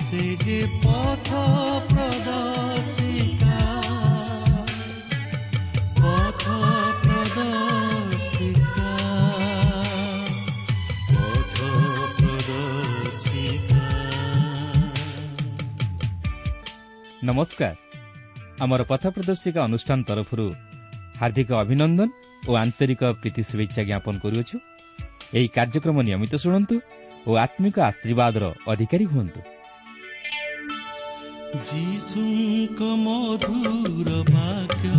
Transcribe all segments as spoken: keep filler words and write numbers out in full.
ସେ ଯେ ପଥ ପ୍ରଦର୍ଶିକା, ପଥ ପ୍ରଦର୍ଶିକା, ପଥ ପ୍ରଦର୍ଶିକା। ନମସ୍କାର। ଆମର ପଥ ପ୍ରଦର୍ଶିକା ଅନୁଷ୍ଠାନ ତରଫରୁ ହାର୍ଦ୍ଦିକ ଅଭିନନ୍ଦନ ଓ ଆନ୍ତରିକ ପ୍ରୀତି ଶୁଭେଚ୍ଛା ଜ୍ଞାପନ କରୁଅଛୁ। ଏହି କାର୍ଯ୍ୟକ୍ରମ ନିୟମିତ ଶୁଣନ୍ତୁ ଓ ଆତ୍ମିକ ଆଶୀର୍ବାଦର ଅଧିକାରୀ ହୁଅନ୍ତୁ। ଯୀଶୁଙ୍କ ମଧୁର ବାକ୍ୟ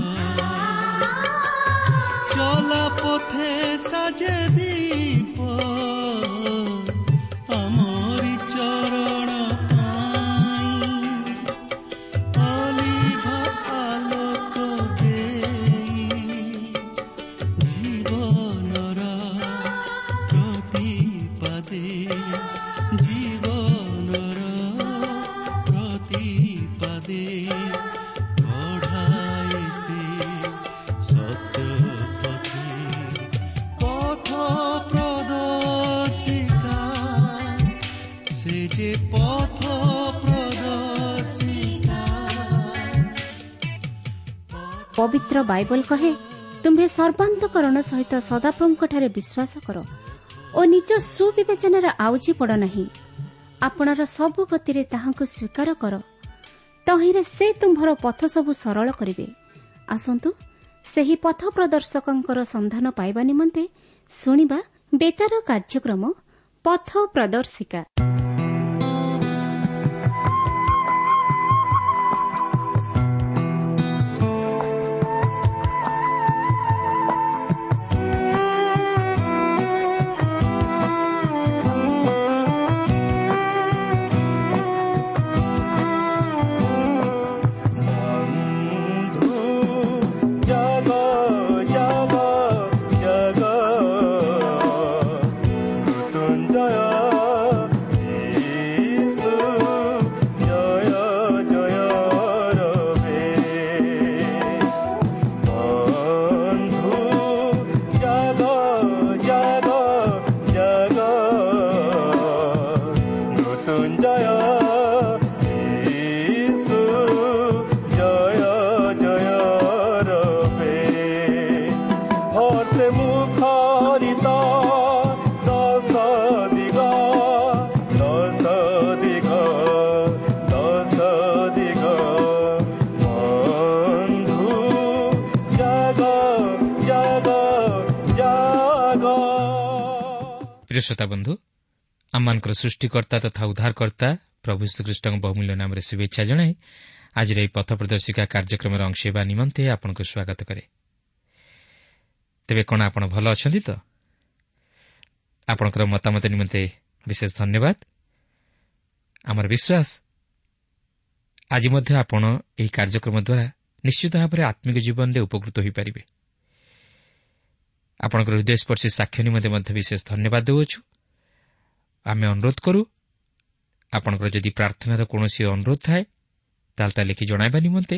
ଚଲା ପଥେ ସାଜେ ଦୀପ, ଆମରି ଚରଣ ପାଇଁ ଅଲିଭ ଆଲୋକ ଦେଇ, ଜୀବନର ପ୍ରତିପାଦେ, ଜୀବନର ପ୍ରତିପାଦେ କଢ଼ାଏ ସେ ସତ୍ୟ ପଥେ। ପଥ ପ୍ରଦର୍ଶିକା, ସେ ଯେ ପଥ ପ୍ରଦର୍ଶିକା। ପବିତ୍ର ବାଇବଲ କହେ, ତୁମ୍ଭେ ସର୍ବାନ୍ତକରଣ ସହିତ ସଦାପ୍ରଭୁଙ୍କଠାରେ ବିଶ୍ୱାସ କର ଓ ନିଜ ସୁବିବେଚନାରେ ଆଉଜି ପଡ଼ ନାହିଁ। ଆପଣାର ସବୁ ଗତିରେ ତାହାଙ୍କୁ ସ୍ୱୀକାର କର, ତହିଁରେ ସେ ତୁମ୍ଭର ପଥ ସବୁ ସରଳ କରିବେ। ଆସନ୍ତୁ ସେହି ପଥ ପ୍ରଦର୍ଶକଙ୍କର ସନ୍ଧାନ ପାଇବା ନିମନ୍ତେ ଶୁଣିବା ବେତାର କାର୍ଯ୍ୟକ୍ରମ ପଥ ପ୍ରଦର୍ଶିକା। ବନ୍ଧୁ ଜାଗ ଜାଗ ଜାଗ, ମୃତ୍ୟୁଞ୍ଜୟ ଯୀଶୁ ଜୟ ଜୟ ରବେ। ବନ୍ଧୁ ଜାଗ ଜାଗ ଜାଗ, ମୃତ୍ୟୁଞ୍ଜୟ ଯୀଶୁ ଜୟ ଜୟ ରବେ। ହର୍ଷେ ମୁଖରିତ ଦଶ ଦିଗ, ଦଶ ଦିଗ, ଦଶ ଦିଗ। ବନ୍ଧୁ ଜାଗ ଜାଗ ଜାଗ। ପ୍ରିୟ ଶ୍ରୋତା ବନ୍ଧୁ, ଆମମାନଙ୍କର ସୃଷ୍ଟିକର୍ତ୍ତା ତଥା ଉଦ୍ଧାରକର୍ତ୍ତା ପ୍ରଭୁ ଶ୍ରୀଖ୍ରୀଷ୍ଟଙ୍କ ବହୁମୂଲ୍ୟ ନାମରେ ଶୁଭେଚ୍ଛା ଜଣାଇ ଆଜିର ଏହି ପଥ ପ୍ରଦର୍ଶିକା କାର୍ଯ୍ୟକ୍ରମର ଅଂଶ ହେବା ନିମନ୍ତେ ଆପଣଙ୍କୁ ସ୍ୱାଗତ କରେ। ତେବେ କ'ଣ ଆପଣ ଭଲ ଅଛନ୍ତି ତ? ଆପଣଙ୍କର ମତାମତ ନିମନ୍ତେ ବିଶେଷ ଧନ୍ୟବାଦ। ଆମର ବିଶ୍ୱାସ ଆଜି ମଧ୍ୟ ଆପଣ ଏହି କାର୍ଯ୍ୟକ୍ରମ ଦ୍ୱାରା ନିଶ୍ଚିତ ଭାବରେ ଆତ୍ମିକ ଜୀବନରେ ଉପକୃତ ହୋଇପାରିବେ। ଆପଣଙ୍କର ହୃଦୟସ୍ପର୍ଶୀ ସାକ୍ଷ୍ୟ ନିମନ୍ତେ ମଧ୍ୟ ବିଶେଷ ଧନ୍ୟବାଦ ଦେଉଅଛୁ। ଆମେ ଅନୁରୋଧ କରୁ, ଆପଣଙ୍କର ଯଦି ପ୍ରାର୍ଥନାର କୌଣସି ଅନୁରୋଧ ଥାଏ ତାହେଲେ ତା ଲେଖି ଜଣାଇବା ନିମନ୍ତେ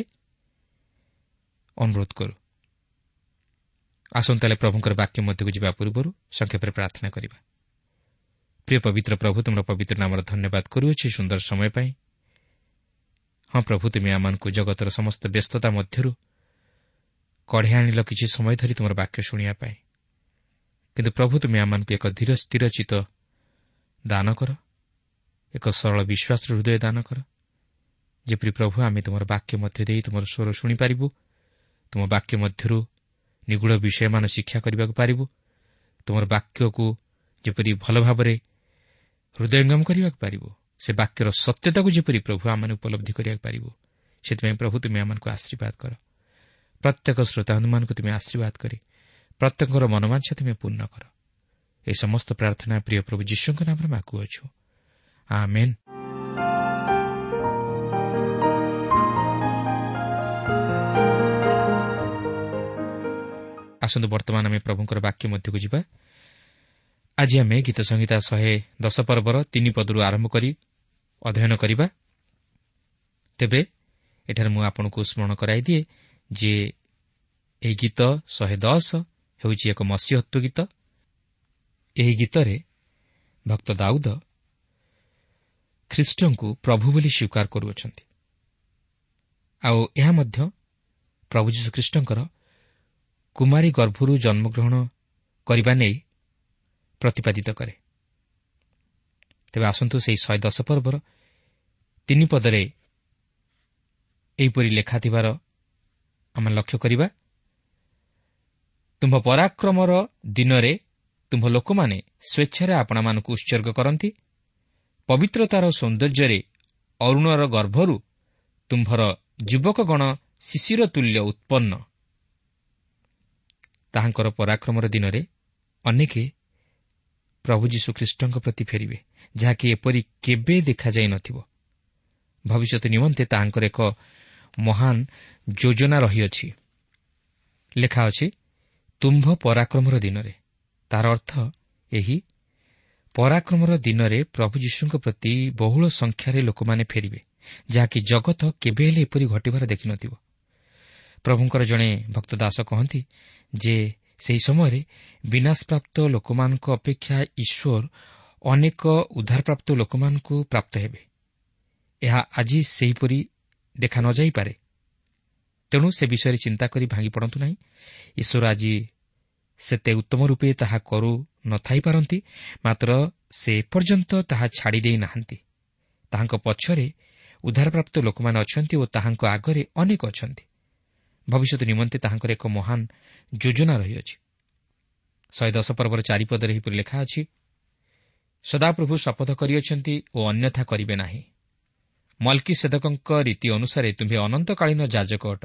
ଅନୁରୋଧ କରୁ। ଆସନ୍ତୁ ତାହେଲେ ପ୍ରଭୁଙ୍କର ବାକ୍ୟ ମଧ୍ୟକୁ ଯିବା ପୂର୍ବରୁ ସଂକ୍ଷେପରେ ପ୍ରାର୍ଥନା କରିବା। ପ୍ରିୟ ପବିତ୍ର ପ୍ରଭୁ, ତୁମର ପବିତ୍ର ନାମର ଧନ୍ୟବାଦ କରୁଅଛି ସୁନ୍ଦର ସମୟ ପାଇଁ। ହଁ ପ୍ରଭୁ, ତୁମେ ଆମମାନଙ୍କୁ ଜଗତର ସମସ୍ତ ବ୍ୟସ୍ତତା ମଧ୍ୟରୁ କଢ଼େଇ ଆଣିଲ କିଛି ସମୟ ଧରି ତୁମର ବାକ୍ୟ ଶୁଣିବା ପାଇଁ। କିନ୍ତୁ ପ୍ରଭୁ, ତୁମେ ଆମମାନଙ୍କୁ ଏକ ଧୀର ସ୍ଥିର ଚିତ୍ତ ଦାନ କର, ଏକ ସରଳ ବିଶ୍ୱାସର ହୃଦୟ ଦାନ କର, ଯେପରି ପ୍ରଭୁ ଆମେ ତୁମର ବାକ୍ୟ ମଧ୍ୟ ଦେଇ ତୁମର ସ୍ୱର ଶୁଣିପାରିବୁ, ତୁମ ବାକ୍ୟ ମଧ୍ୟରୁ ନିଗୁଢ଼ ବିଷୟମାନ ଶିକ୍ଷା କରିବାକୁ ପାରିବୁ, ତୁମର ବାକ୍ୟକୁ ଯେପରି ଭଲ ଭାବରେ ହୃଦୟଙ୍ଗମ କରିବାକୁ ପାରିବୁ, ସେ ବାକ୍ୟର ସତ୍ୟତାକୁ ଯେପରି ପ୍ରଭୁ ଆମମାନେ ଉପଲବ୍ଧି କରିବାକୁ ପାରିବୁ, ସେଥିପାଇଁ ପ୍ରଭୁ ତୁମେ ଆମମାନଙ୍କୁ ଆଶୀର୍ବାଦ କର। ପ୍ରତ୍ୟେକ ଶ୍ରୋତାମାନଙ୍କୁ ତୁମେ ଆଶୀର୍ବାଦ କରି ପ୍ରତ୍ୟେକଙ୍କର ମନୋବାଞ୍ଛା ତୁମେ ପୂର୍ଣ୍ଣ କର। ଏହି ସମସ୍ତ ପ୍ରାର୍ଥନା ପ୍ରିୟ ପ୍ରଭୁ ଯୀଶୁଙ୍କ ନାମରେ ମାଗୁଅଛୁ, ଆମେନ୍। ଆସନ୍ତୁ ବର୍ତ୍ତମାନ ଆମେ ପ୍ରଭୁଙ୍କର ବାକ୍ୟ ମଧ୍ୟକୁ ଯିବା। ଆଜି ଆମେ ଗୀତ ସଂହିତା ଶହେ ଦଶ ପର୍ବର ତିନି ପଦରୁ ଆରମ୍ଭ କରି ଅଧ୍ୟୟନ କରିବା। ତେବେ ଏଠାରେ ମୁଁ ଆପଣଙ୍କୁ ସ୍ମରଣ କରାଇଦିଏ ଯେ ଏହି ଗୀତ ଶହେ ଦଶ ହେଉଛି ଏକ ମସିହତ୍ୱ ଗୀତ। ଏହି ଗୀତରେ ଭକ୍ତ ଦାଉଦ ଖ୍ରୀଷ୍ଟଙ୍କୁ ପ୍ରଭୁ ବୋଲି ସ୍ୱୀକାର କରୁଅଛନ୍ତି। ଆଉ ଏହା ମଧ୍ୟ ପ୍ରଭୁ ଯୀଶୁଖ୍ରୀଷ୍ଟଙ୍କର କୁମାରୀ ଗର୍ଭରୁ ଜନ୍ମଗ୍ରହଣ କରିବା ନେଇ ପ୍ରତିପାଦିତ କରେ। ତେବେ ଆସନ୍ତୁ ସେହି ଶହେ ଦଶ ପର୍ବର ତିନି ପଦରେ ଏହିପରି ଲେଖା ଥିବାର ଆମେ ଲକ୍ଷ୍ୟ କରିବା, ତୁମ୍ଭ ପରାକ୍ରମର ଦିନରେ ତୁମ୍ଭ ଲୋକମାନେ ସ୍ୱେଚ୍ଛାରେ ଆପଣାମାନଙ୍କୁ ଉତ୍ସର୍ଗ କରନ୍ତି, ପବିତ୍ରତାର ସୌନ୍ଦର୍ଯ୍ୟରେ ଅରୁଣର ଗର୍ଭରୁ ତୁମ୍ଭର ଯୁବକଗଣ ଶିଶିର ତୁଲ୍ୟ ଉତ୍ପନ୍ନ। ତାହାଙ୍କର ପରାକ୍ରମର ଦିନରେ ଅନେକେ ପ୍ରଭୁ ଯୀଶୁଖ୍ରୀଷ୍ଟଙ୍କ ପ୍ରତି ଫେରିବେ, ଯାହାକି ଏପରି କେବେ ଦେଖାଯାଇ ନଥିବ। ଭବିଷ୍ୟତ ନିମନ୍ତେ ତାହାଙ୍କର ଏକ ମହାନ ଯୋଜନା ରହିଅଛି। ଲେଖା ଅଛି ତୁମ୍ଭ ପରାକ୍ରମର ଦିନରେ, ତାର ଅର୍ଥ ଏହି ପରାକ୍ରମର ଦିନରେ ପ୍ରଭୁ ଯୀଶୁଙ୍କ ପ୍ରତି ବହୁଳ ସଂଖ୍ୟାରେ ଲୋକମାନେ ଫେରିବେ, ଯାହାକି ଜଗତ କେବେ ହେଲେ ଏପରି ଘଟିବାର ଦେଖିନଥିବ। ପ୍ରଭୁଙ୍କର ଜଣେ ଭକ୍ତ ଦାସ କହନ୍ତି ଯେ ସେହି ସମୟରେ ବିନାଶପ୍ରାପ୍ତ ଲୋକମାନଙ୍କ ଅପେକ୍ଷା ଈଶ୍ୱର ଅନେକ ଉଦ୍ଧାରପ୍ରାପ୍ତ ଲୋକମାନଙ୍କୁ ପ୍ରାପ୍ତ ହେବେ। ଏହା ଆଜି ସେହିପରି ଦେଖା ନଯାଇପାରେ, ତେଣୁ ସେ ବିଷୟରେ ଚିନ୍ତା କରି ଭାଙ୍ଗି ପଡ଼ନ୍ତୁ ନାହିଁ। ଈଶ୍ୱର ଆଜି ସେତେ ଉତ୍ତମ ରୂପେ ତାହା କରୁ ନଥାଇପାରନ୍ତି, ମାତ୍ର ସେ ଏପର୍ଯ୍ୟନ୍ତ ତାହା ଛାଡ଼ି ଦେଇ ନାହାନ୍ତି। ତାହାଙ୍କ ପଛରେ ଉଦ୍ଧାରପ୍ରାପ୍ତ ଲୋକମାନେ ଅଛନ୍ତି ଓ ତାହାଙ୍କ ଆଗରେ ଅନେକ ଅଛନ୍ତି। ଭବିଷ୍ୟତ ନିମନ୍ତେ ତାହାଙ୍କର ଏକ ମହାନ ଯୋଜନା ରହିଅଛି। ଶହେ ଦଶ ପର୍ବର ଚାରିପଦରେ ଏହିପରି ଲେଖା ଅଛି, ସଦାପ୍ରଭୁ ଶପଥ କରିଅଛନ୍ତି ଓ ଅନ୍ୟଥା କରିବେ ନାହିଁ, ମଲ୍କିସେଦକଙ୍କ ରୀତି ଅନୁସାରେ ତୁମ୍ଭେ ଅନନ୍ତକାଳୀନ ଯାଜକ ଅଟ।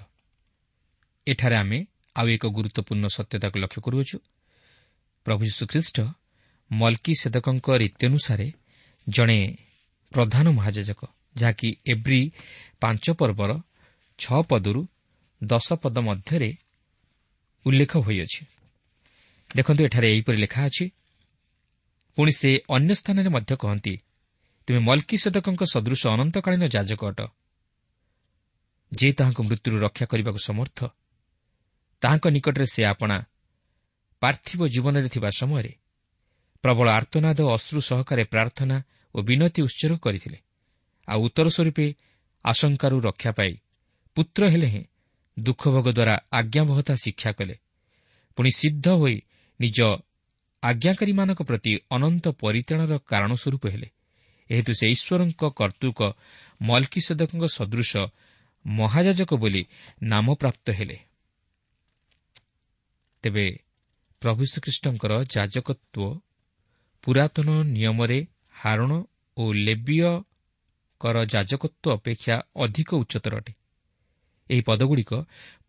ଏଠାରେ ଆମେ ଆଉ ଏକ ଗୁରୁତ୍ୱପୂର୍ଣ୍ଣ ସତ୍ୟତାକୁ ଲକ୍ଷ୍ୟ କରୁଅଛୁ। ପ୍ରଭୁ ଯୀଶୁଖ୍ରୀଷ୍ଟ ମଲ୍କିସେଦକଙ୍କ ରୀତି ଅନୁସାରେ ଜଣେ ପ୍ରଧାନ ମହାଯାଜକ, ଯାହାକି ଏବ୍ରୀ ପାଞ୍ଚ ପର୍ବର ଛଅ ପଦରୁ ଦଶ ପଦ ମଧ୍ୟରେ ଉଲ୍ଲେଖ ହୋଇଅଛି। ଦେଖନ୍ତୁ ଏଠାରେ ଏହିପରି ଲେଖା ଅଛି, ପୁଣି ସେ ଅନ୍ୟ ସ୍ଥାନରେ ମଧ୍ୟ କହନ୍ତି, ତୁମେ ମଲ୍କିସେଦକଙ୍କ ସଦୃଶ ଅନନ୍ତକାଳୀନ ଯାଜକ ଅଟ, ଯେ ତାହାଙ୍କୁ ମୃତ୍ୟୁରୁ ରକ୍ଷା କରିବାକୁ ସମର୍ଥ। ତାହାଙ୍କ ନିକଟରେ ସେ ଆପଣା ପାର୍ଥିବ ଜୀବନରେ ଥିବା ସମୟରେ ପ୍ରବଳ ଆର୍ତ୍ତନାଦ ଓ ଅଶ୍ରୁ ସହକାରେ ପ୍ରାର୍ଥନା ଓ ବିନତି ଉତ୍ସର୍ଗ କରିଥିଲେ, ଆଉ ଉତ୍ତର ସ୍ୱରୂପେ ଆଶଙ୍କାରୁ ରକ୍ଷା ପାଇ ପୁତ୍ର ହେଲେ ହେଁ ଦୁଃଖଭୋଗ ଦ୍ୱାରା ଆଜ୍ଞାବହତା ଶିକ୍ଷା କଲେ, ପୁଣି ସିଦ୍ଧ ହୋଇ ନିଜ ଆଜ୍ଞାକାରୀମାନଙ୍କ ପ୍ରତି ଅନନ୍ତ ପରିତ୍ରାଣର କାରଣ ସ୍ୱରୂପ ହେଲେ। ଏହେତୁ ସେ ଈଶ୍ୱରଙ୍କ କର୍ତ୍ତୃକ ମଲ୍କିସେଦକଙ୍କ ସଦୃଶ ମହାଯାଜକ ବୋଲି ନାମପ୍ରାପ୍ତ ହେଲେ। ତେବେ ପ୍ରଭୁ ଶ୍ରୀଖ୍ରୀଷ୍ଟଙ୍କର ଯାଜକତ୍ୱ ପୁରାତନ ନିୟମରେ ହାରଣ ଓ ଲେବୀୟଙ୍କର ଯାଜକତ୍ୱ ଅପେକ୍ଷା ଅଧିକ ଉଚ୍ଚତର ଅଟେ। ଏହି ପଦଗୁଡ଼ିକ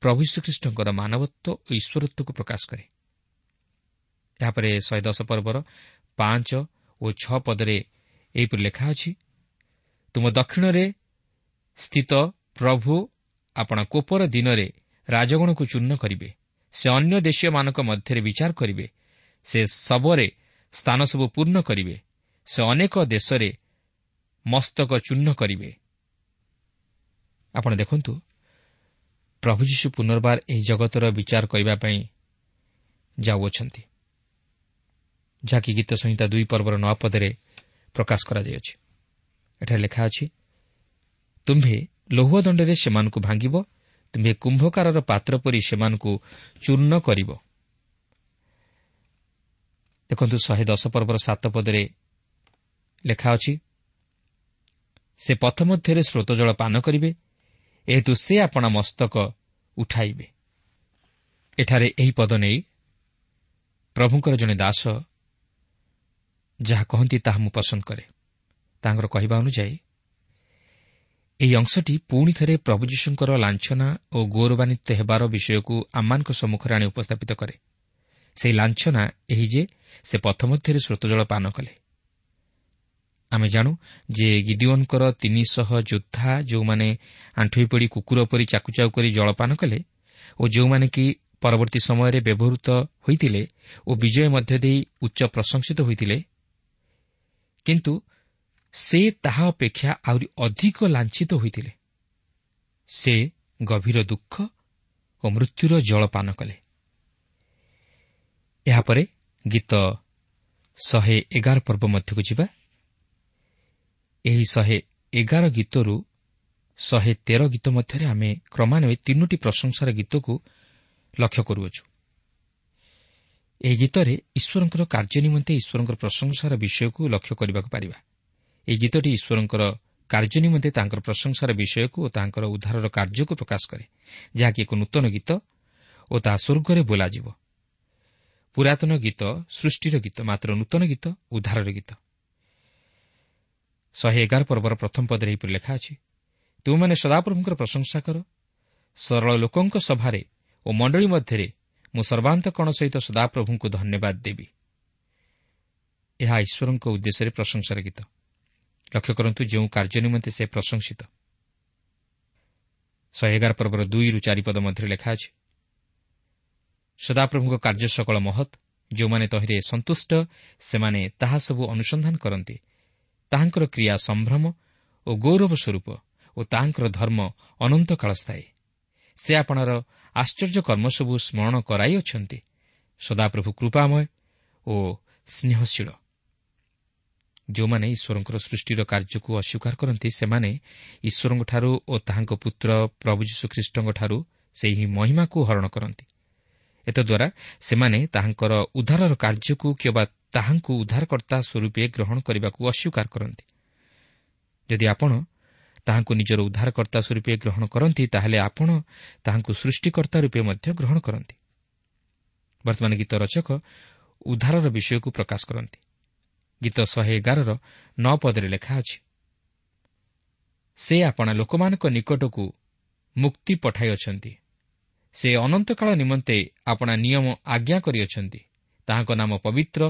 ପ୍ରଭୁ ଶ୍ରୀଖ୍ରୀଷ୍ଟଙ୍କର ମାନବତ୍ୱ ଓ ଈଶ୍ୱରତ୍ୱକୁ ପ୍ରକାଶ କରେ। ଏହାପରେ ଶହେ ଦଶ ପର୍ବର ପାଞ୍ଚ ଓ ଛଅ ପଦରେ ଏହିପରି ଲେଖା ଅଛି, ତୁମ ଦକ୍ଷିଣରେ ସ୍ଥିତ ପ୍ରଭୁ ଆପଣା କୋପର ଦିନରେ ରାଜଗଣକୁ ଚୂର୍ଣ୍ଣ କରିବେ, ସେ ଅନ୍ୟ ଦେଶୀୟମାନଙ୍କ ମଧ୍ୟରେ ବିଚାର କରିବେ, ସେ ଶବରେ ସ୍ଥାନ ସବୁ ପୂର୍ଣ୍ଣ କରିବେ, ସେ ଅନେକ ଦେଶରେ ମସ୍ତକ ଚୂର୍ଣ୍ଣ କରିବେ। ଆପଣ ଦେଖନ୍ତୁ, ପ୍ରଭୁ ଯୀଶୁ ପୁନର୍ବାର ଏହି ଜଗତର ବିଚାର କରିବା ପାଇଁ ଯାଉଅଛନ୍ତି, ଯାହାକି ଗୀତ ସଂହିତା ଦୁଇ ପର୍ବର ନଅ ପଦରେ ପ୍ରକାଶ କରାଯାଇଅଛି। ଏଠାରେ ଲେଖା ଅଛି, ତୁମ୍ଭେ ଲୌହ ଦଣ୍ଡରେ ସେମାନଙ୍କୁ ଭାଙ୍ଗିବ, ତୁମ୍ଭେ କୁମ୍ଭକାରର ପାତ୍ର ପରି ସେମାନଙ୍କୁ ଚୂର୍ଣ୍ଣ କରିବ। ଦେଖନ୍ତୁ ଶହେ ଦଶ ପର୍ବର ସାତ ପଦରେ ଲେଖା ଅଛି, ସେ ପଥ ମଧ୍ୟରେ ସ୍ରୋତ ଜଳ ପାନ କରିବେ, ଏହେତୁ ସେ ଆପଣା ମସ୍ତକ ଉଠାଇବେ। ଏଠାରେ ଏହି ପଦ ନେଇ ପ୍ରଭୁଙ୍କର ଜଣେ ଦାସ ଯାହା କହନ୍ତି ତାହା ମୁଁ ପସନ୍ଦ କରେ। ତାଙ୍କର କହିବା ଅନୁଯାୟୀ ଏହି ଅଂଶଟି ପୁଣି ଥରେ ପ୍ରଭୁ ଯୀଶୁଙ୍କର ଲାଞ୍ଛନା ଓ ଗୌରବାନ୍ୱିତ ହେବାର ବିଷୟକୁ ଆମମାନଙ୍କ ସମ୍ମୁଖରେ ଆଣି ଉପସ୍ଥାପିତ କରେ। ସେହି ଲାଞ୍ଛନା ଏହି ଯେ ସେ ପଥ ମଧ୍ୟରେ ସ୍ରୋତଜଳ ପାନ କଲେ। ଆମେ ଜାଣୁ ଯେ ଗିଦିଓନଙ୍କର ତିନିଶହ ଯୋଦ୍ଧା ଯେଉଁମାନେ ଆଣ୍ଠୁଇ ପଡ଼ି କୁକୁର ପରି ଚାକୁଚାକୁ କରି ଜଳପାନ କଲେ ଓ ଯେଉଁମାନେ କି ପରବର୍ତ୍ତୀ ସମୟରେ ବ୍ୟବହୃତ ହୋଇଥିଲେ ଓ ବିଜୟ ମଧ୍ୟ ଦେଇ ଉଚ୍ଚ ପ୍ରଶଂସିତ ହୋଇଥିଲେ, କିନ୍ତୁ ସେ ତାହା ଅପେକ୍ଷା ଆହୁରି ଅଧିକ ଲାଞ୍ଛିତ ହୋଇଥିଲେ। ସେ ଗଭୀର ଦୁଃଖ ଓ ମୃତ୍ୟୁର ଜଳପାନ କଲେ। ଏହାପରେ ଗୀତ ଶହେ ଏଗାର ପର୍ବ ମଧ୍ୟକୁ ଯିବା। ଏହି ଶହେ ଏଗାର ଗୀତରୁ ଶହେ ତେର ଗୀତ ମଧ୍ୟରେ ଆମେ କ୍ରମାନ୍ୱୟରେ ତିନୋଟି ପ୍ରଶଂସାର ଗୀତକୁ ଲକ୍ଷ୍ୟ କରୁଅଛୁ। ଏହି ଗୀତରେ ଈଶ୍ୱରଙ୍କର କାର୍ଯ୍ୟ ନିମନ୍ତେ ଈଶ୍ୱରଙ୍କର ପ୍ରଶଂସାର ବିଷୟକୁ ଲକ୍ଷ୍ୟ କରିବାକୁ ପାରିବା। ଏହି ଗୀତଟି ଈଶ୍ୱରଙ୍କର କାର୍ଯ୍ୟ ନିମନ୍ତେ ତାଙ୍କର ପ୍ରଶଂସାର ବିଷୟକୁ ଓ ତାଙ୍କର ଉଦ୍ଧାରର କାର୍ଯ୍ୟକୁ ପ୍ରକାଶ କରେ, ଯାହାକି ଏକ ନୂତନ ଗୀତ ଓ ତାହା ସ୍ୱର୍ଗରେ ବୋଲାଯିବ। ପୁରାତନ ଗୀତ ସୃଷ୍ଟିର ଗୀତ, ମାତ୍ର ନୂତନ ଗୀତ ଉଦ୍ଧାରର ଗୀତ। ଶହେ ଏଗାର ପର୍ବର ପ୍ରଥମ ପଦରେ ଏହିପରି ଲେଖା ଅଛି, ତୁମେମାନେ ସଦାପ୍ରଭୁଙ୍କର ପ୍ରଶଂସା କର, ସରଳ ଲୋକଙ୍କ ସଭାରେ ଓ ମଣ୍ଡଳୀ ମଧ୍ୟରେ ମୁଁ ସର୍ବାନ୍ତକରଣ ସହିତ ସଦାପ୍ରଭୁଙ୍କୁ ଧନ୍ୟବାଦ ଦେବି। ଏହା ଈଶ୍ୱରଙ୍କ ଉଦ୍ଦେଶ୍ୟରେ ପ୍ରଶଂସାର ଗୀତ। ଲକ୍ଷ୍ୟ କରନ୍ତୁ ଯେଉଁ କାର୍ଯ୍ୟ ନିମନ୍ତେ ସେ ପ୍ରଶଂସିତ। ଶହେ ଏଗାର ପର୍ବର ଦୁଇରୁ ଚାରିପଦ ମଧ୍ୟରେ ଲେଖା ଅଛି, ସଦାପ୍ରଭୁଙ୍କ କାର୍ଯ୍ୟ ସକଳ ମହତ୍, ଯେଉଁମାନେ ତହିଁରେ ସନ୍ତୁଷ୍ଟ ସେମାନେ ତାହା ସବୁ ଅନୁସନ୍ଧାନ କରନ୍ତି। ତାହାଙ୍କର କ୍ରିୟା ସମ୍ଭ୍ରମ ଓ ଗୌରବ ସ୍ୱରୂପ ଓ ତାହାଙ୍କର ଧର୍ମ ଅନନ୍ତକାଳ ସ୍ଥାୟୀ। ସେ ଆପଣାର ଆଶ୍ଚର୍ଯ୍ୟ କର୍ମ ସବୁ ସ୍ମରଣ କରାଇଅଛନ୍ତି। ସଦାପ୍ରଭୁ କୃପାମୟ ଓ ସ୍ନେହଶୀଳ। ଯେଉଁମାନେ ଈଶ୍ୱରଙ୍କର ସୃଷ୍ଟିର କାର୍ଯ୍ୟକୁ ଅସ୍ୱୀକାର କରନ୍ତି, ସେମାନେ ଈଶ୍ୱରଙ୍କଠାରୁ ଓ ତାହାଙ୍କ ପୁତ୍ର ପ୍ରଭୁ ଯୀଶୁଖ୍ରୀଷ୍ଟଙ୍କଠାରୁ ସେହି ମହିମାକୁ ହରଣ କରନ୍ତି। ଏତଦ୍ୱାରା ସେମାନେ ତାହାଙ୍କର ଉଦ୍ଧାରର କାର୍ଯ୍ୟକୁ କିମ୍ବା ତାହାଙ୍କୁ ଉଦ୍ଧାରକର୍ତ୍ତା ସ୍ୱରୂପେ ଗ୍ରହଣ କରିବାକୁ ଅସ୍ୱୀକାର କରନ୍ତି। ଯଦି ଆପଣ ତାହାଙ୍କୁ ନିଜର ଉଦ୍ଧାରକର୍ତ୍ତା ସ୍ୱରୂପେ ଗ୍ରହଣ କରନ୍ତି, ତାହେଲେ ଆପଣ ତାହାଙ୍କୁ ସୃଷ୍ଟିକର୍ତ୍ତା ରୂପେ ମଧ୍ୟ ଗ୍ରହଣ କରନ୍ତି। ବର୍ତ୍ତମାନ ଗୀତ ରଚକ ଉଦ୍ଧାରର ବିଷୟକୁ ପ୍ରକାଶ କରନ୍ତି। ଗୀତ ଶହେ ଏଗାରର ନଅ ପଦରେ ଲେଖା ଅଛି, ସେ ଆପଣା ଲୋକମାନଙ୍କ ନିକଟକୁ ମୁକ୍ତି ପଠାଇଅଛନ୍ତି, ସେ ଅନନ୍ତକାଳ ନିମନ୍ତେ ଆପଣା ନିୟମ ଆଜ୍ଞା କରିଅଛନ୍ତି, ତାହାଙ୍କ ନାମ ପବିତ୍ର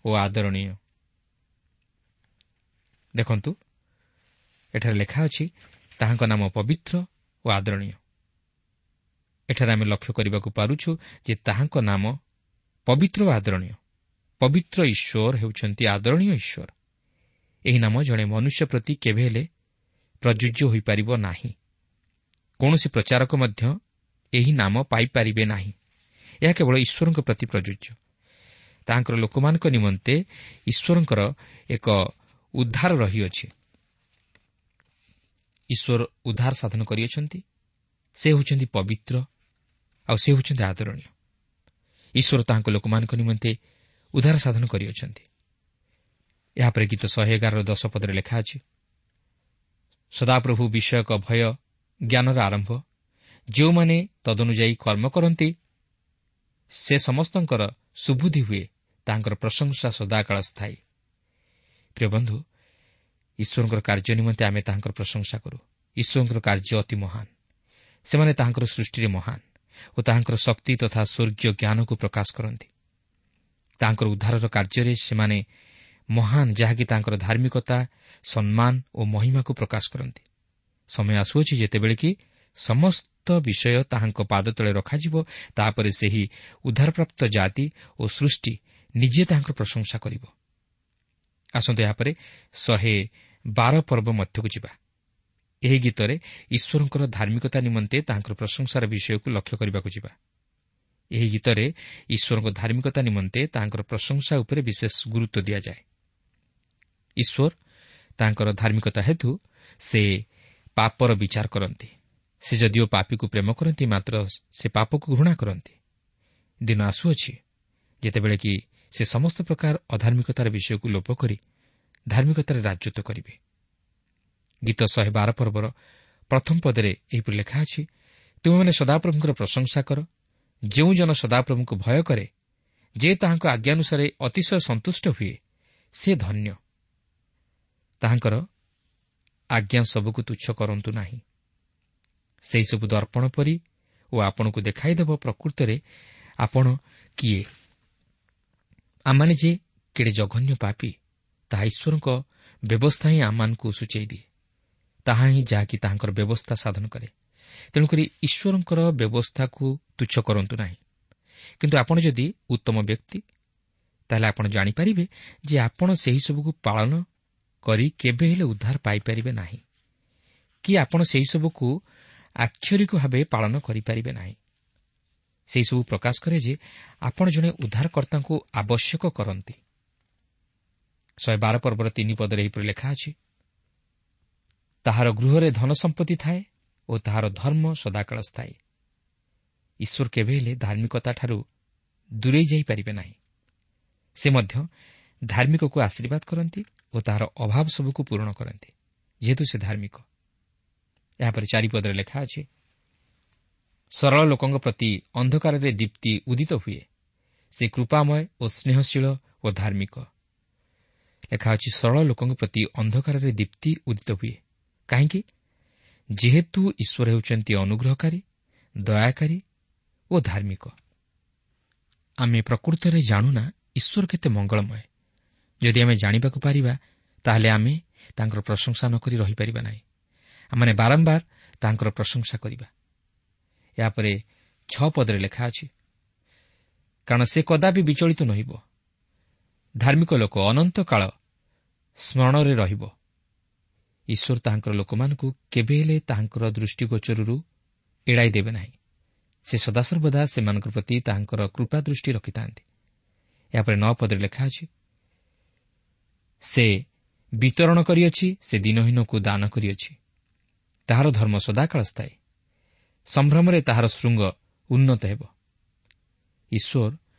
ଓ ଆଦରଣୀୟ। ଦେଖନ୍ତୁ, ଏଠାରେ ଲେଖା ଅଛି ତାହାଙ୍କ ନାମ ପବିତ୍ର ଓ ଆଦରଣୀୟ। ଏଠାରେ ଆମେ ଲକ୍ଷ୍ୟ କରିବାକୁ ପାରୁଛୁ ଯେ ତାହାଙ୍କ ନାମ ପବିତ୍ର ଓ ଆଦରଣୀୟ। ପବିତ୍ର ଈଶ୍ୱର ହେଉଛନ୍ତି ଆଦରଣୀୟ ଈଶ୍ୱର। ଏହି ନାମ ଜଣେ ମନୁଷ୍ୟ ପ୍ରତି କେବେ ହେଲେ ପ୍ରଯୁଜ୍ୟ ହୋଇପାରିବ ନାହିଁ। କୌଣସି ପ୍ରଚାରକ ମଧ୍ୟ ଏହି ନାମ ପାଇପାରିବେ ନାହିଁ। ଏହା କେବଳ ଈଶ୍ୱରଙ୍କ ପ୍ରତି ପ୍ରଯୁଜ୍ୟ। ତାହାଙ୍କର ଲୋକମାନଙ୍କ ନିମନ୍ତେ ଈଶ୍ୱରଙ୍କର ଏକ ଉଦ୍ଧାର ରହିଅଛି। ଈଶ୍ୱର ଉଦ୍ଧାର ସାଧନ କରିଅଛନ୍ତି। ସେ ହେଉଛନ୍ତି ପବିତ୍ର ଆଉ ସେ ହେଉଛନ୍ତି ଆଦରଣୀୟ। ଈଶ୍ୱର ତାହାଙ୍କ ଲୋକମାନଙ୍କ ନିମନ୍ତେ ଉଦ୍ଧାର ସାଧନ କରିଅଛନ୍ତି। ଏହାପରେ ଗୀତ ଶହେ ଏଗାରର ଦଶ ପଦରେ ଲେଖା ଅଛି, ସଦାପ୍ରଭୁ ବିଷୟକ ଭୟ ଜ୍ଞାନର ଆରମ୍ଭ, ଯେଉଁମାନେ ତଦନୁଯାୟୀ କର୍ମ କରନ୍ତି ସେ ସମସ୍ତଙ୍କର ସୁବୁଦ୍ଧି ହୁଏ, ତାହାଙ୍କର ପ୍ରଶଂସା ସଦାକାଳ ସ୍ଥାୟୀ। ପ୍ରିୟ ବନ୍ଧୁ, ଈଶ୍ୱରଙ୍କର କାର୍ଯ୍ୟ ନିମନ୍ତେ ଆମେ ତାହାଙ୍କର ପ୍ରଶଂସା କରୁ। ଈଶ୍ୱରଙ୍କର କାର୍ଯ୍ୟ ଅତି ମହାନ। ସେମାନେ ତାହାଙ୍କର ସୃଷ୍ଟିରେ ମହାନ ଓ ତାହାଙ୍କର ଶକ୍ତି ତଥା ସ୍ୱର୍ଗୀୟ ଜ୍ଞାନକୁ ପ୍ରକାଶ କରନ୍ତି। ତାହାଙ୍କର ଉଦ୍ଧାରର କାର୍ଯ୍ୟରେ ସେମାନେ ମହାନ, ଯାହାକି ତାଙ୍କର ଧାର୍ମିକତା, ସମ୍ମାନ ଓ ମହିମାକୁ ପ୍ରକାଶ କରନ୍ତି। ସମୟ ଆସୁଅଛି ଯେତେବେଳେ କି ସମସ୍ତ ବିଷୟ ତାହାଙ୍କ ପାଦ ତଳେ ରଖାଯିବ। ତାପରେ ସେହି ଉଦ୍ଧାରପ୍ରାପ୍ତ ଜାତି ଓ ସୃଷ୍ଟି ନିଜେ ତାହାଙ୍କର ପ୍ରଶଂସା କରିବ। ଆସନ୍ତୁ ଏହାପରେ ଶହେ ବାର ପର୍ବ ମଧ୍ୟକୁ ଯିବା। ଏହି ଗୀତରେ ଈଶ୍ୱରଙ୍କର ଧାର୍ମିକତା ନିମନ୍ତେ ତାହାଙ୍କର ପ୍ରଶଂସାର ବିଷୟକୁ ଲକ୍ଷ୍ୟ କରିବାକୁ ଯିବା। ଏହି ଗୀତରେ ଈଶ୍ୱରଙ୍କ ଧାର୍ମିକତା ନିମନ୍ତେ ତାହାଙ୍କର ପ୍ରଶଂସା ଉପରେ ବିଶେଷ ଗୁରୁତ୍ୱ ଦିଆଯାଏ। ଈଶ୍ୱର ତାଙ୍କର ଧାର୍ମିକତା ହେତୁ ସେ ପାପର ବିଚାର କରନ୍ତି। ସେ ଯଦିଓ ପାପୀକୁ ପ୍ରେମ କରନ୍ତି, ମାତ୍ର ସେ ପାପକୁ ଘୃଣା କରନ୍ତି। ଦିନ ଆସୁଅଛି ଯେତେବେଳେ କି ସେ ସମସ୍ତ ପ୍ରକାର ଅଧାର୍ମିକତାର ବିଷୟକୁ ଲୋପ କରି ଧାର୍ମିକତାରେ ରାଜତ୍ୱ କରିବେ। ଗୀତ ଶହେ ବାର ପର୍ବର ପ୍ରଥମ ପଦରେ ଏହିପରି ଲେଖା ଅଛି, ତୁମେମାନେ ସଦାପ୍ରଭୁଙ୍କର ପ୍ରଶଂସା କର, ଯେଉଁ ଜନ ସଦାପ୍ରଭୁଙ୍କୁ ଭୟ କରେ, ଯେ ତାହାଙ୍କ ଆଜ୍ଞାନୁସାରେ ଅତିଶୟ ସନ୍ତୁଷ୍ଟ ହୁଏ, ସେ ଧନ୍ୟ। ତାହାଙ୍କର ଆଜ୍ଞା ସବୁକୁ ତୁଚ୍ଛ କରନ୍ତୁ ନାହିଁ। ସେହିସବୁ ଦର୍ପଣ ପରି ଓ ଆପଣଙ୍କୁ ଦେଖାଇଦେବ ପ୍ରକୃତରେ ଆପଣ କିଏ। ଆମମାନେ ଯେ କେଡ଼େ ଜଘନ୍ୟ ପାପୀ, ତାହା ଈଶ୍ୱରଙ୍କ ବ୍ୟବସ୍ଥା ହିଁ ଆମମାନଙ୍କୁ ସୂଚାଇ ଦିଏ। ତାହା ହିଁ ଯାହାକି ତାହାଙ୍କର ବ୍ୟବସ୍ଥା ସାଧନ କରେ। ତେଣୁକରି ଈଶ୍ୱରଙ୍କର ବ୍ୟବସ୍ଥାକୁ ତୁଚ୍ଛ କରନ୍ତୁ ନାହିଁ। କିନ୍ତୁ ଆପଣ ଯଦି ଉତ୍ତମ ବ୍ୟକ୍ତି, ତାହେଲେ ଆପଣ ଜାଣିପାରିବେ ଯେ ଆପଣ ସେହିସବୁକୁ ପାଳନ କରି କେବେ ହେଲେ ଉଦ୍ଧାର ପାଇପାରିବେ ନାହିଁ, କି ଆପଣ ସେହିସବୁକୁ ଆକ୍ଷରିକ ଭାବେ ପାଳନ କରିପାରିବେ ନାହିଁ। ସେହିସବୁ ପ୍ରକାଶ କରେ ଯେ ଆପଣ ଜଣେ ଉଦ୍ଧାରକର୍ତ୍ତାଙ୍କୁ ଆବଶ୍ୟକ କରନ୍ତି। ଶହେ ବାର ପର୍ବର ତିନି ପଦରେ ଏହିପରି ଲେଖା ଅଛି, ତାହାର ଗୃହରେ ଧନ ସମ୍ପତ୍ତି ଥାଏ ଓ ତାହାର ଧର୍ମ ସଦାକାଳ ସ୍ଥାୟୀ। ଈଶ୍ୱର କେବେ ହେଲେ ଧାର୍ମିକତାଠାରୁ ଦୂରେଇ ଯାଇପାରିବେ ନାହିଁ। ସେ ମଧ୍ୟ ଧାର୍ମିକକୁ ଆଶୀର୍ବାଦ କରନ୍ତି ଓ ତାହାର ଅଭାବ ସବୁକୁ ପୂରଣ କରନ୍ତି, ଯେହେତୁ ସେ ଧାର୍ମିକ। ଏହାପରେ ଚାରିପଦରେ ଲେଖା ଅଛି, ସରଳ ଲୋକଙ୍କ ପ୍ରତି ଅନ୍ଧକାରରେ ଦୀପ୍ତି ଉଦିତ ହୁଏ, ସେ କୃପାମୟ ଓ ସ୍ନେହଶୀଳ ଓ ଧାର୍ମିକ। ଲେଖା ଅଛି, ସରଳ ଲୋକଙ୍କ ପ୍ରତି ଅନ୍ଧକାରରେ ଦୀପ୍ତି ଉଦିତ ହୁଏ। କାହିଁକି? ଯେହେତୁ ଈଶ୍ୱର ହେଉଛନ୍ତି ଅନୁଗ୍ରହକାରୀ, ଦୟାକାରୀ ଓ ଧାର୍ମିକ। ଆମେ ପ୍ରକୃତରେ ଜାଣୁନା ଈଶ୍ୱର କେତେ ମଙ୍ଗଳମୟ। ଯଦି ଆମେ ଜାଣିବାକୁ ପାରିବା, ତାହେଲେ ଆମେ ତାଙ୍କର ପ୍ରଶଂସା ନ କରି ରହିପାରିବା ନାହିଁ। ଆମମାନେ ବାରମ୍ବାର ତାଙ୍କର ପ୍ରଶଂସା କରିବା। ଏହାପରେ ଛଅ ପଦରେ ଲେଖା ଅଛି, କାରଣ ସେ କଦାପି ବିଚଳିତ ନହିବ, ଧାର୍ମିକ ଲୋକ ଅନନ୍ତ କାଳ ସ୍ମରଣରେ ରହିବ। ଈଶ୍ୱର ତାହାଙ୍କର ଲୋକମାନଙ୍କୁ କେବେ ହେଲେ ତାହାଙ୍କର ଦୃଷ୍ଟିଗୋଚରରୁ ଏଡ଼ାଇ ଦେବେ ନାହିଁ। ସେ ସଦାସର୍ବଦା ସେମାନଙ୍କ ପ୍ରତି ତାହାଙ୍କର କୃପା ଦୃଷ୍ଟି ରଖିଥାନ୍ତି। ଏହାପରେ ନଅ ପଦରେ ଲେଖା ଅଛି, ସେ ବିତରଣ କରିଅଛି, ସେ ଦିନହୀନକୁ ଦାନ କରିଅଛି, ତାହାର ଧର୍ମ ସଦାକାଳ ସ୍ଥାୟୀ, ସମ୍ଭ୍ରମରେ ତାହାର ଶୃଙ୍ଗ ଉନ୍ନତ ହେବ। ଈଶ୍ୱର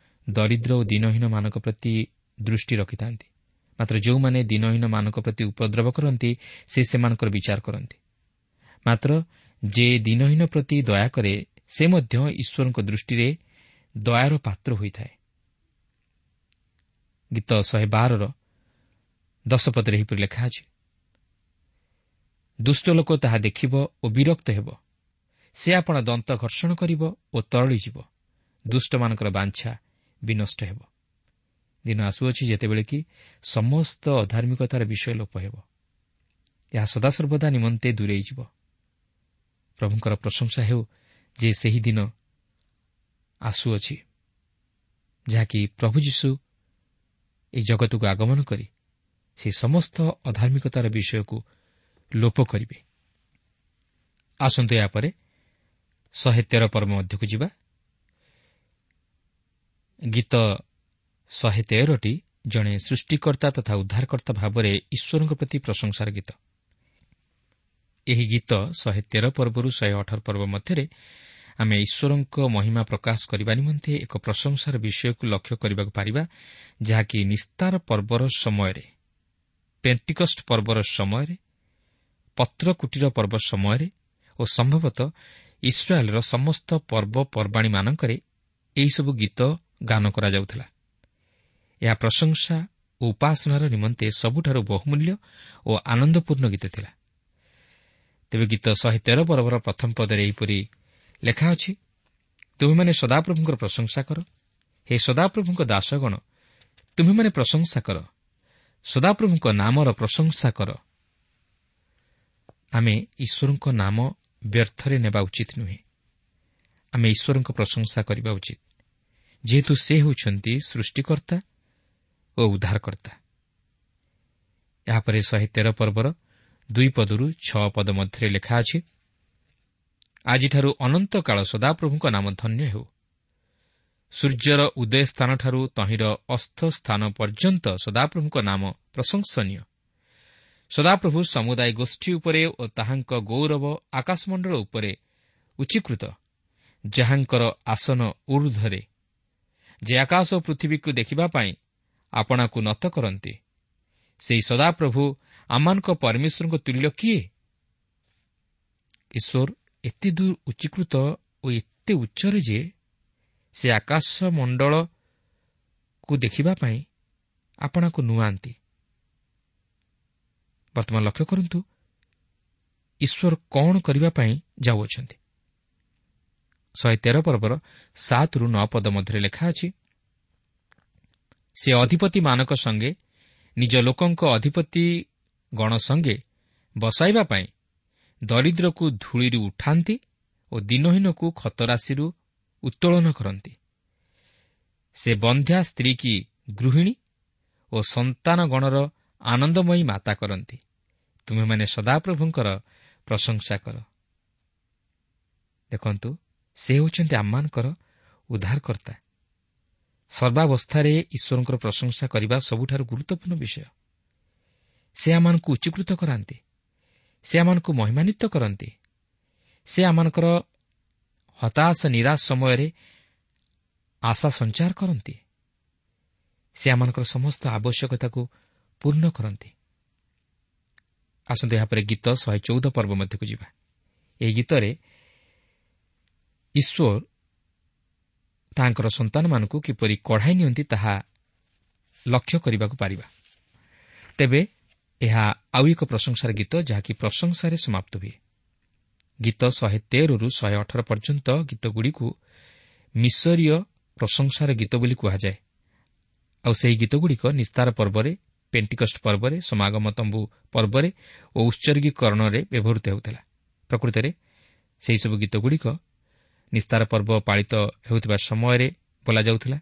ଦରିଦ୍ର ଓ ଦିନହୀନମାନଙ୍କ ପ୍ରତି ଦୃଷ୍ଟି ରଖିଥାନ୍ତି, ମାତ୍ର ଯେଉଁମାନେ ଦିନହୀନମାନଙ୍କ ପ୍ରତି ଉପଦ୍ରବ କରନ୍ତି, ସେ ସେମାନଙ୍କର ବିଚାର କରନ୍ତି। ମାତ୍ର ଯେ ଦିନହୀନ ପ୍ରତି ଦୟା କରେ, ସେ ମଧ୍ୟ ଈଶ୍ୱରଙ୍କ ଦୃଷ୍ଟିରେ ଦୟାର ପାତ୍ର ହୋଇଥାଏ। ଗୀତ ଶହେ ବାରର ଦଶ ପଦରେ ଏହିପରି ଲେଖା ଅଛି, ଦୁଷ୍ଟ ଲୋକ ତାହା ଦେଖିବ ଓ ବିରକ୍ତ ହେବ, ସେ ଆପଣା ଦନ୍ତ ଘର୍ଷଣ କରିବ ଓ ତରଳିଯିବ, ଦୁଷ୍ଟମାନଙ୍କର ବାଞ୍ଛା ବିନଷ୍ଟ ହେବ। ଦିନ ଆସୁଅଛି ଯେତେବେଳେ କି ସମସ୍ତ ଅଧାର୍ମିକତାର ବିଷୟ ଲୋପ ହେବ। ଏହା ସଦାସର୍ବଦା ନିମନ୍ତେ ଦୂରେଇଯିବ। ପ୍ରଭୁଙ୍କର ପ୍ରଶଂସା ହେଉ ଯେ ସେହି ଦିନ ଆସୁଅଛି, ଯାହାକି ପ୍ରଭୁ ଯୀଶୁ ଏହି ଜଗତକୁ ଆଗମନ କରି ସେ ସମସ୍ତ ଅଧାର୍ମିକତାର ବିଷୟକୁ ଲୋପ କରିବେ। ଆସନ୍ତୁ ଏହାପରେ ଶହେ ତେର ପର୍ବ ମଧ୍ୟକୁ ଯିବା। ଗୀତ ଶହେ ତେରଟି ଜଣେ ସୃଷ୍ଟିକର୍ତ୍ତା ତଥା ଉଦ୍ଧାରକର୍ତ୍ତା ଭାବରେ ଈଶ୍ୱରଙ୍କ ପ୍ରତି ପ୍ରଶଂସାର ଗୀତ। ଏହି ଗୀତ ଶହେ ତେର ପର୍ବରୁ ଶହେ ଅଠର ପର୍ବ ମଧ୍ୟରେ ଆମେ ଈଶ୍ୱରଙ୍କ ମହିମା ପ୍ରକାଶ କରିବା ନିମନ୍ତେ ଏକ ପ୍ରଶଂସାର ବିଷୟକୁ ଲକ୍ଷ୍ୟ କରିବାକୁ ପାରିବା, ଯାହାକି ନିସ୍ତାର ପର୍ବର ସମୟରେ, ପେଣ୍ଟିକଷ୍ଟ ପର୍ବର ସମୟରେ, ପତ୍ରକୁଟୀର ପର୍ବ ସମୟରେ ଓ ସମ୍ଭବତଃ ଇସ୍ରାଏଲର ସମସ୍ତ ପର୍ବପର୍ବାଣୀମାନଙ୍କରେ ଏହିସବୁ ଗୀତ ଗାନ କରାଯାଉଥିଲା। ଏହା ପ୍ରଶଂସା ଓ ଉପାସନାର ନିମନ୍ତେ ସବୁଠାରୁ ବହୁମୂଲ୍ୟ ଓ ଆନନ୍ଦପୂର୍ଣ୍ଣ ଗୀତ ଥିଲା। ତେବେ ଗୀତ ଶହେ ତେର ପର୍ବର ପ୍ରଥମ ପଦରେ ଏହିପରି ଲେଖା ଅଛି, ତୁମେମାନେ ସଦାପ୍ରଭୁଙ୍କର ପ୍ରଶଂସା କର, ହେ ସଦାପ୍ରଭୁଙ୍କ ଦାସଗଣ, ତୁମେମାନେ ପ୍ରଶଂସା କର, ସଦାପ୍ରଭୁଙ୍କ ନାମର ପ୍ରଶଂସା କର। ଆମେ ଈଶ୍ୱରଙ୍କ ନାମ ବ୍ୟର୍ଥରେ ନେବା ଉଚିତ ନୁହେଁ। ଆମେ ଈଶ୍ୱରଙ୍କ ପ୍ରଶଂସା କରିବା ଉଚିତ, ଯେହେତୁ ସେ ହେଉଛନ୍ତି ସୃଷ୍ଟିକର୍ତ୍ତା ଓ ଉଦ୍ଧାରକର୍ତ୍ତା। ଏହାପରେ ଶହେ ତେର ପର୍ବର ଦୁଇ ପଦରୁ ଛଅ ପଦ ମଧ୍ୟରେ ଲେଖା ଅଛି, ଆଜିଠାରୁ ଅନନ୍ତକାଳ ସଦାପ୍ରଭୁଙ୍କ ନାମ ଧନ୍ୟ ହେଉ। ସୂର୍ଯ୍ୟର ଉଦୟ ସ୍ଥାନଠାରୁ ତହିଁର ଅସ୍ତ ସ୍ଥାନ ପର୍ଯ୍ୟନ୍ତ ସଦାପ୍ରଭୁଙ୍କ ନାମ ପ୍ରଶଂସନୀୟ। ସଦାପ୍ରଭୁ ସମୁଦାୟ ଗୋଷ୍ଠୀ ଉପରେ ଓ ତାହାଙ୍କ ଗୌରବ ଆକାଶମଣ୍ଡଳ ଉପରେ ଉଚ୍ଚୀକୃତ, ଯାହାଙ୍କର ଆସନ ଊର୍ଦ୍ଧ୍ୱରେ, ଯେ ଆକାଶ ଓ ପୃଥିବୀକୁ ଦେଖିବା ପାଇଁ ଆପଣାକୁ ନତ କରନ୍ତି, ସେହି ସଦାପ୍ରଭୁ ଆମମାନଙ୍କ ପରମେଶ୍ୱରଙ୍କ ତୁଲ୍ୟ କିଏ? ଈଶ୍ୱର ଏତେ ଦୂର ଉଚ୍ଚୀକୃତ ଓ ଏତେ ଉଚ୍ଚରେ ଯେ ସେ ଆକାଶମଣ୍ଡଳକୁ ଦେଖିବା ପାଇଁ ଆପଣାକୁ ନୁଆନ୍ତି। ବର୍ତ୍ତମାନ ଲକ୍ଷ୍ୟ କରନ୍ତୁ ଈଶ୍ୱର କ'ଣ କରିବା ପାଇଁ ଯାଉଅଛନ୍ତି। ଶହେ ତେର ପର୍ବର ସାତରୁ ନଅ ପଦ ମଧ୍ୟରେ ଲେଖା ଅଛି, ସେ ଅଧିପତିମାନଙ୍କ ସଙ୍ଗେ ନିଜ ଲୋକଙ୍କ ଅଧିପତି ଗଣ ସଙ୍ଗେ ବସାଇବା ପାଇଁ ଦରିଦ୍ରକୁ ଧୂଳିରୁ ଉଠାନ୍ତି ଓ ଦିନହୀନକୁ ଖତରାଶିରୁ ଉତ୍ତୋଳନ କରନ୍ତି। ସେ ବନ୍ଧ୍ୟା ସ୍ତ୍ରୀ କି ଗୃହିଣୀ ଓ ସନ୍ତାନଗଣର ଆନନ୍ଦମୟୀ ମାତା କରନ୍ତି। ତୁମେମାନେ ସଦାପ୍ରଭୁଙ୍କର ପ୍ରଶଂସା କର। ଦେଖନ୍ତୁ, ସେ ହେଉଛନ୍ତି ଆମମାନଙ୍କର ଉଦ୍ଧାରକର୍ତ୍ତା। ସର୍ବାବସ୍ଥାରେ ଈଶ୍ୱରଙ୍କର ପ୍ରଶଂସା କରିବା ସବୁଠାରୁ ଗୁରୁତ୍ୱପୂର୍ଣ୍ଣ ବିଷୟ। ସେ ଆମମାନଙ୍କୁ ଉଚ୍ଚୀକୃତ କରାନ୍ତି। ସେ ଆମମାନଙ୍କୁ ମହିମାନ୍ୱିତ କରନ୍ତି। ସେ ଆମମାନଙ୍କର ହତାଶ ନିରାଶ ସମୟରେ ଆଶା ସଞ୍ଚାର କରନ୍ତି। ସେ ଆମମାନଙ୍କର ସମସ୍ତ ଆବଶ୍ୟକତାକୁ ପୂର୍ଣ୍ଣ କରନ୍ତି। ଆସନ୍ତୁ ଏହାପରେ ଗୀତ ଶହେ ଚଉଦ ପର୍ବ ମଧ୍ୟକୁ ଯିବା। ଏହି ଗୀତରେ ଈଶ୍ୱର ତାଙ୍କର ସନ୍ତାନମାନଙ୍କୁ କିପରି କଢ଼ାଇ ନିଅନ୍ତି ତାହା ଲକ୍ଷ୍ୟ କରିବାକୁ ପାରିବା। ତେବେ ଏହା ଆଉ ଏକ ପ୍ରଶଂସାର ଗୀତ, ଯାହାକି ପ୍ରଶଂସାରେ ସମାପ୍ତ ହୁଏ। ଗୀତ ଶହେ ତେରରୁ ଶହେ ଅଠର ପର୍ଯ୍ୟନ୍ତ ଗୀତଗୁଡ଼ିକୁ ମିଶରୀୟ ପ୍ରଶଂସାର ଗୀତ ବୋଲି କୁହାଯାଏ। ଆଉ ସେହି ଗୀତଗୁଡ଼ିକ ନିସ୍ତାର ପର୍ବରେ, ପେଣ୍ଟିକଷ୍ଟ ପର୍ବରେ, ସମାଗମ ତମ୍ବୁ ପର୍ବରେ ଓ ଉତ୍ସର୍ଗୀକରଣରେ ବ୍ୟବହୃତ ହେଉଥିଲା। ପ୍ରକୃତରେ ସେହିସବୁ ଗୀତଗୁଡ଼ିକ ନିସ୍ତାର ପର୍ବ ପାଳିତ ହେଉଥିବା ସମୟରେ ବୋଲାଯାଉଥିଲା।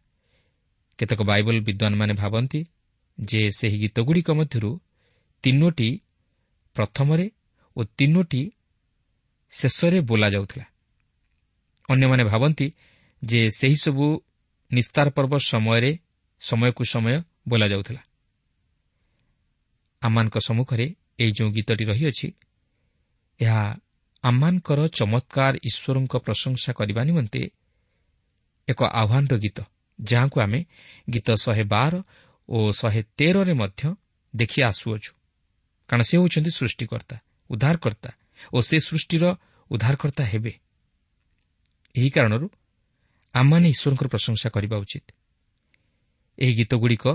କେତେକ ବାଇବଲ ବିଦ୍ୱାନମାନେ ଭାବନ୍ତି ଯେ ସେହି ଗୀତଗୁଡ଼ିକ ମଧ୍ୟରୁ ତିନୋଟି ପ୍ରଥମରେ ଓ ତିନୋଟି ଶେଷରେ ବୋଲାଯାଉଥିଲା। ଅନ୍ୟମାନେ ଭାବନ୍ତି ଯେ ସେହିସବୁ ନିସ୍ତାର ପର୍ବ ସମୟରେ ସମୟକୁ ସମୟ ବୋଲାଯାଉଥିଲା। ଆମମାନଙ୍କ ସମ୍ମୁଖରେ ଏହି ଯେଉଁ ଗୀତଟି ରହିଅଛି, ଏହା ଆମମାନଙ୍କର ଚମତ୍କାର ଈଶ୍ୱରଙ୍କ ପ୍ରଶଂସା କରିବା ନିମନ୍ତେ ଏକ ଆହ୍ୱାନର ଗୀତ, ଯାହାକୁ ଆମେ ଗୀତ ଶହେ ବାର ଓ ଶହେ ତେରରେ ମଧ୍ୟ ଦେଖି ଆସୁଅଛୁ। କାରଣ ସେ ହେଉଛନ୍ତି ସୃଷ୍ଟିକର୍ତ୍ତା, ଉଦ୍ଧାରକର୍ତ୍ତା ଓ ସେ ସୃଷ୍ଟିର ଉଦ୍ଧାରକର୍ତ୍ତା ହେବେ। ଏହି କାରଣରୁ ଆମମାନେ ଈଶ୍ୱରଙ୍କର ପ୍ରଶଂସା କରିବା ଉଚିତ। ଏହି ଗୀତଗୁଡ଼ିକ